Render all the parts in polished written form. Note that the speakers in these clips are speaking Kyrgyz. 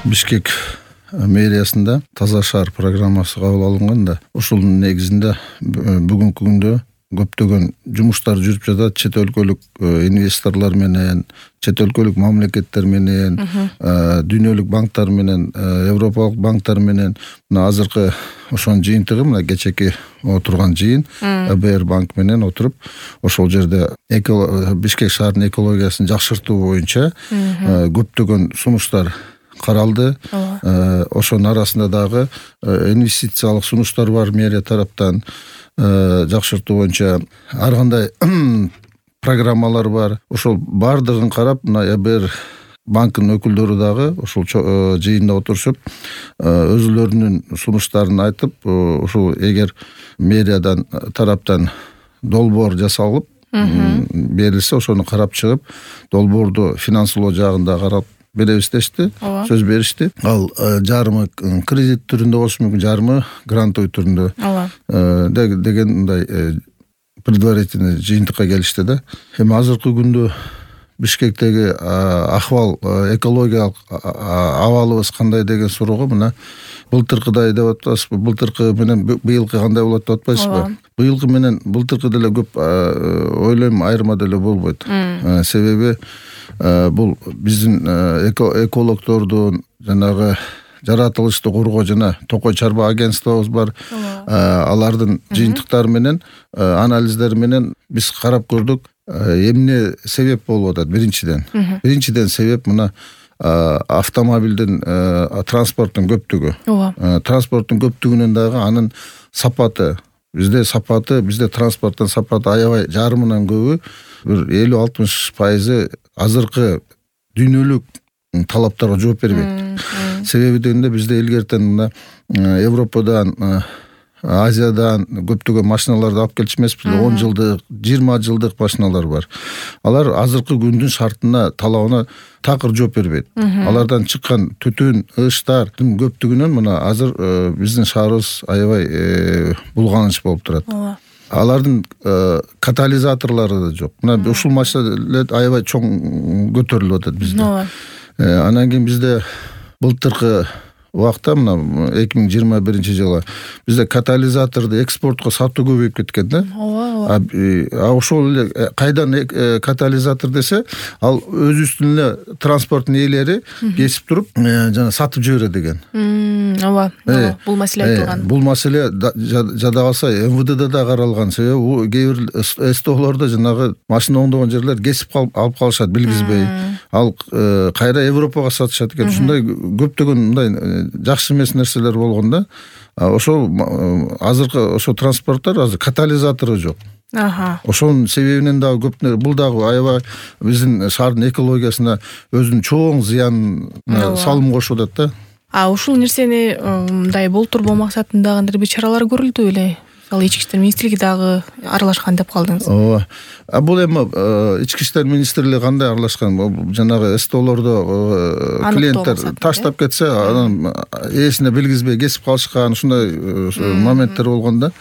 Бишкек мэриясында таза шаар программасы кабыл алынган да, ушунун негизинде бүгүнкү күндө көптөгөн жумуштар жүрүп жатат. Чет өлкөлүк инвесторлор менен, чет өлкөлүк мамлекеттер менен, дүйнөлүк банктар менен, европалык банктар менен мына азыркы ошонун жыйынтыгы мына кечеки отурган жыйын ЭБР банк менен отуруп ошол жерде Бишкек шаарынын экологиясын жакшыртуу боюнча көптөгөн сунуштар каралды. Ошонун арасында дагы инвестициялык сунуштар бар мэрия тараптан. Жакшыртуу боюнча ар кандай программалар бар. Ошол баардыгын карап, мына ЭБР банкынын өкүлдөрү дагы ушул жыйында отурушуп, өзүлөрүнүн сунуштарын айтып, ушул эгер мэриядан тараптан долбоор жасалып берилсе, ошону карап чыгып, долбоорду финансылоо жагында карап беребиз дешти, сөз беришти. Ал жарымы кредит түрүндө болушу мүмкүн, жарымы грантовый түрүндө деген мындай предварительный жыйынтыкка келишти да. Эми азыркы күндө Бишкектеги акыбал, экологиялык абалыбыз кандай деген суроого мына былтыркыдай деп атпайсызбы, былтыркы менен быйылкы кандай болот деп атпайсызбы? Быйылкы менен былтыркы деле көп ойлойм айырма деле болбойт. Себеби бул биздин экологдордун жанагы жаратылышты коргоо жана Токой Чарба агентствобуз бар. Алардын жыйынтыктары менен, анализдери менен биз карап көрдүк, эмне себеп болуп атат. Биринчиден себеп мына автомобилдин, транспорттун көптүгү. Транспорттун көптүгүнөн дагы анын сапаты, бизде транспорттун сапаты аябай жарымынан көбү, бир 50-60% азыркы дүйнөлүк талаптарга жооп бербейт. Себеби дегенде бизде илгертен мына Европадан, Азиядан көптөгөн машиналарды алып келчү эмеспизби? 10 жылдык, 20 жылдык машиналар бар. Алар азыркы күндүн шартына, талабына такыр жооп бербейт. Алардан чыккан түтүн, ыштардын көптүгүнөн мына азыр биздин шаарыбыз аябай булганыч болуп турат. Алардын катализаторлору да жок. Мына ушул маселе аябай чоң көтөрүлүп атат бизде. Анан кийин бизде былтыркы убакта, мына 2021-жылы бизде катализаторду экспортко сатуу көбөйүп кеткен да. Ошол эле кайдан катализатор десе, ал өзүбүздүн эле транспорттун ээлери кесип туруп, жана сатып жиберет экен. Бул маселе айтылган. Бул маселе жада калса МВДда да каралган. Себеби кээ бир СТОлордо жанагы машина оңдогон жерлер кесип алып калышат билгизбей. Ал кайра Европага сатышат экен. Ушундай көптөгөн мындай жакшы эмес нерселер болгон да. Ошол азыркы ошо транспорттор азыр катализатору жок. Ошонун себебинен дагы көп бул дагы аябай биздин шаардын экологиясына өзүнүн чоң зыянына салым кошуп атат да. Ушул нерсени мындай болтурбоо максатында кандай бир чаралар көрүлдү беле? Ал ички иштер министрлиги дагы аралашкан деп калдыңыз. Бул эми ички иштер министрлиги кандай аралашкан? Жанагы СТОлордо клиенттер таштап кетсе, анан ээсине билгизбей кесип калышкан, ушундай моменттер болгон да.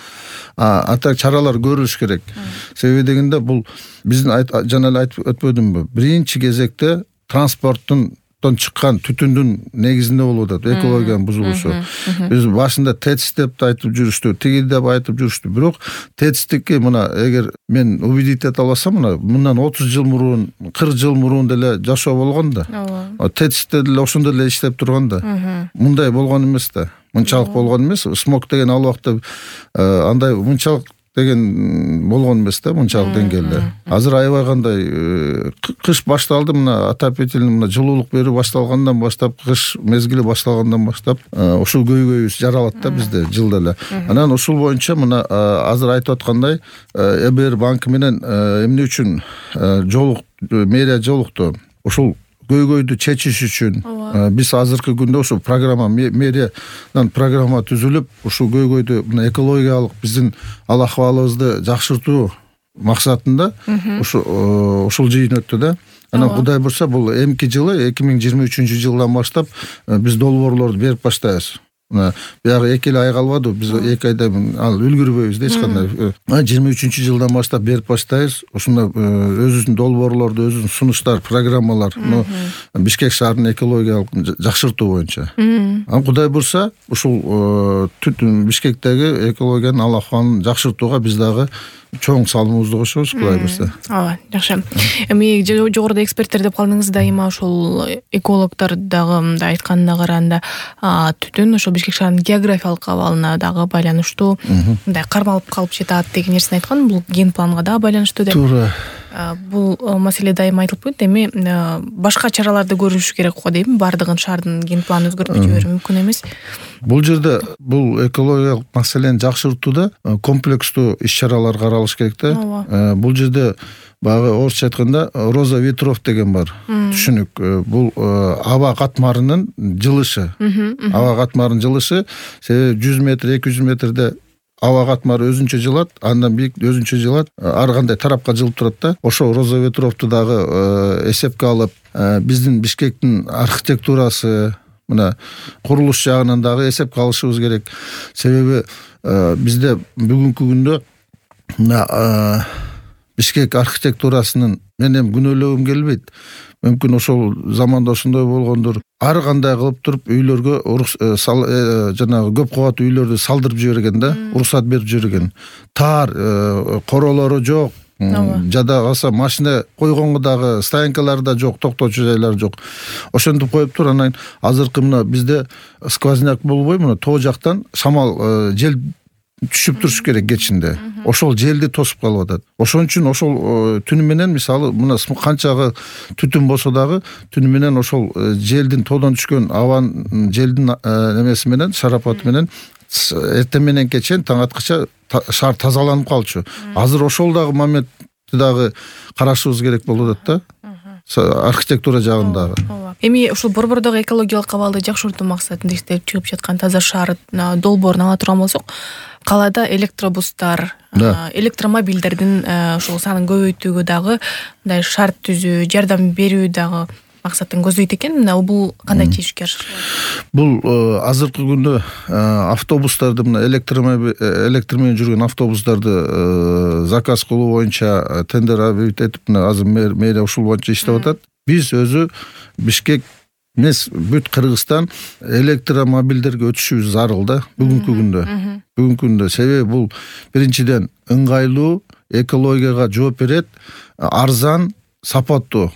Ата чаралар көрүлүш керек. Себеби дегенде бул биздин жана эле айтып өтпөдүмбү? Биринчи кезекте транспорттун чыккан түтүндүн негизинде болуп атат экологиянын бузулушу. Биз башында ТЭЦ деп айтып жүрүштү, тиги деп айтып жүрүштү. Бирок ТЭЦтики мына эгер мен убедить эте алсам, мындан 30 жыл мурун, 40 жыл мурун деле жашоо болгон да. ТЭЦте деле ошондой эле иштеп турган да. Мындай болгон эмес да. Мынчалык болгон эмес. Смог деген ал убакта андай мынчалык деген болгон эмес да, мынчалык деңгээлде. Азыр аябай кандай кыш башталды, мына отопительный мына жылуулук берүү башталгандан баштап, кыш мезгили башталгандан баштап ушул көйгөйүбүз жаралат да бизде жылда эле. Анан ушул боюнча мына азыр айтып аткандай ЭБР банкы менен эмне үчүн мэрия жолукту? Ушул көйгөйдү чечиш үчүн биз азыркы күндө ушу программа, мэриядан программа түзүлүп, ушул көйгөйдү мына экологиялык биздин ал акыбалыбызды жакшыртуу максатында ушул жыйын өттү да. Анан Кудай бурса бул эмки жылы 2023-жылдан баштап биз долбоорлорду берип баштайбыз. мына биягы 2 ай калбады, биз 2 айда ал үлгүрбөйбүз да эч кандай. 23-жылдан баштап берип баштайбыз. Ушунда өзүбүздүн долбоорлорду, өзүбүздүн сунуштар, программалар, Бишкек шаарынын экологиялык жакшыртуу боюнча. Кудай бурса, ушул Бишкектеги экологиянын ал акыбалын жакшыртууга биз дагы чоң салымыбызды кошобуз, Кудай бурса. Ооба, жакшы. Эми жогоруда эксперттер деп калдыңыз, дайыма ошол экологдор дагы мындай айтканына караганда, түтүн ошол Бишкек шаарынын географиялык абалына дагы байланыштуу, мындай кармалып калып жатат деген нерсени айткан. Бул ген планга дагы байланыштуу деп. Туура. Бул маселе дайыма айтылып келет. Эми башка чараларды көрүш керек го дейм. Бардыгын шаардын ген планын өзгөртүп жиберүү мүмкүн эмес. Бул жерде бул экологиялык маселени жакшыртууда комплекстүү иш-чаралар каралыш керек да. Бул жерде баягы орусча айтканда роза ветров деген бар. Түшүнүк. Бул аба катмарынын жылышы. Аба катмарынын жылышы себеби 100 метр, 200 метрде аба катмары өзүнчө жылат, андан бийик өзүнчө жылат, ар кандай тарапка жылып турат да. Ошо роза ветровду дагы эсепке алып, биздин Бишкектин архитектурасы, мына курулуш жагынан дагы эсепке алышыбыз керек. Себеби бизде бүгүнкү күндө мына Бишкек архитектурасынын мен эми күнөөлөгүм келбейт. Мүмкүн ошол заманда ошондой болгондур. Ар кандай кылып туруп үйлөргө жанагы көп кабаттуу үйлөрдү салдырып жиберген да, уруксат берип жиберген. Таар, королору жок. Жада калса машина койгонго дагы стоянкалары да жок, токтоочу жайлары жок. Ошентип коюп тур. Анан азыркы мына бизде сквозняк болбой, мына тоо жактан шамал, жел түшүп туруш керек кечинде. Ошол желди тосуп калып атат. Ошон үчүн ошол түнү менен мисалы мына канчагы түтүн болсо дагы түнү менен ошол желдин тоодон түшкөн абанын желдин немеси менен, шарапаты менен эртең менен чейин таң аткыча шаар тазаланып калчу. Азыр ошол дагы моментти дагы карашыбыз керек болуп атат да. Архитектура жагындагы. Эми ушул борбордогу экологиялык абалды жакшыртуу максатында иштеп чыгып жаткан таза шаар долбоорун ала турган болсок, калаада электробустар, электромобилдердин ушул санын көбөйтүүгө дагы мындай шарт түзүү, жардам берүү дагы максатын көздөйт экен. Мына бул кандай чечишке ашыгат? Бул азыркы күндө автобустарды, мына электр менен жүргөн автобустарды заказ кылуу боюнча тендер этип, мына азыр мэрия ушул боюнча иштеп атат. Биз өзү Бишкек эмес, бүт Кыргызстан электромобилдерге өтүшүбүз зарыл да бүгүнкү күндө. Бүгүнкү күндө себеби бул биринчиден ыңгайлуу, экологияга жооп берет, арзан, сапаттуу.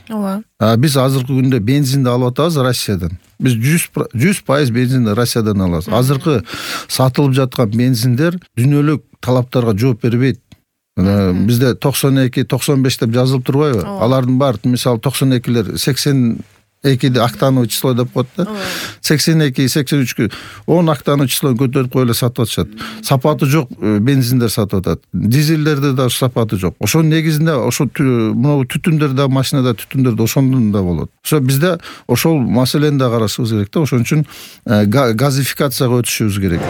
Биз азыркы күндө бензинди алып атабыз Россиядан. Биз 100% бензинди Россиядан алабыз. Азыркы сатылып жаткан бензиндер дүйнөлүк талаптарга жооп бербейт. Бизде 92-95 деп жазылып турбайбы? Алардын баары мисалы 92лер 82 октановый число деп коет да. 82-83 10 октановый числону көтөрүп коюп эле сатып атышат. Сапаты жок бензиндер сатып атат. Дизелдерде да сапаты жок. Ошонун негизинде ошо мына түтүндөр да, машинада түтүндөр да ошондон да болот. Ошо бизде ошол маселени да карашыбыз керек да. Ошон үчүн газификацияга өтүшүбүз керек.